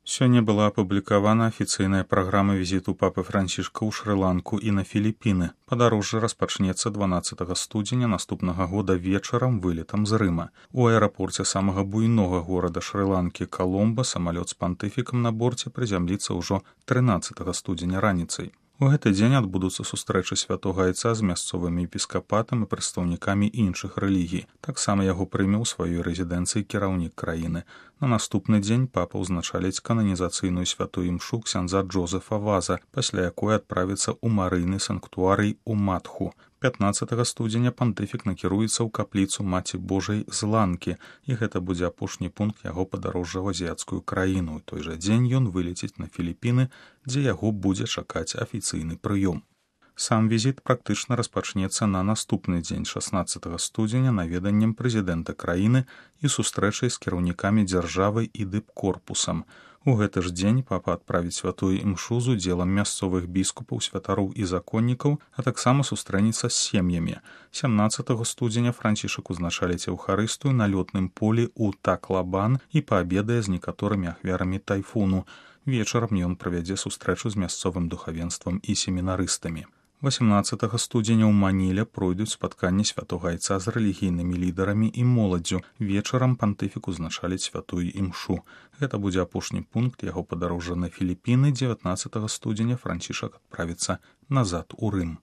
Сёння была апублікавана афіцыйная праграма візіту папы Францішка ў Шры-Ланку і на Філіпіны. Падарожжа распачнецца 12 студзеня наступнага года вечарам вылетам з Рыма. У аэрапорце самага буйнога горада Шры-Ланкі Каломба самалёт з пантыфікам на борце прызямліцца ўжо 13 студзеня раніцай. У гэты дзень адбудуцца сустрэчы святога айца з мясцовымі епіскапатам і прадстаўнікамі іншых рэлігій. Таксама яго прыме ў сваёй рэзідэнцыі кіраўнік краіны. На наступны дзень папа ўзначаліць кананізацыйную святую імшу ксяндза Джозефа Ваза, пасля якой адправіцца ў марыйны санктуарый у Матху. 15 студзеня пантыфік накіруецца ў капліцу Маці Божай з Ланкі, і гэта будзе апошні пункт яго падарожжа ў азіяцкую краіну. У той жа дзень ён вылеціць на Філіпіны, дзе яго будзе чакаць афіцыйны прыём. Сам візіт практычна распачнецца на наступны дзень 16 студзеня наведаннем прэзідэнта краіны і сустрэчай з кіраўнікамі дзяржавы і дыпкорпусам. У гэты ж дзень папа адправіць святую імшу з удзелам мясцовых біскупаў, святароў і законнікаў, а таксама сустрэнецца з сем'ямі. 17 студзеня Францішак узначаліць эўхарыстыю на лётным полі ў Таклабан і паабедае з некаторымі ахвярамі тайфуну. Вечарам ён правядзе сустрэчу з мясцовым духавенствам і семінарыстамі. 18 студзеня ў Маніле пройдуць спатканні святога айца з рэлігійнымі лідарамі і моладдзю. Вечарам пантыфік узначаліць святую імшу. Гэта будзе апошні пункт яго падарожжа на Філіпіны. 19 студзеня Францішак адправіцца назад у Рым.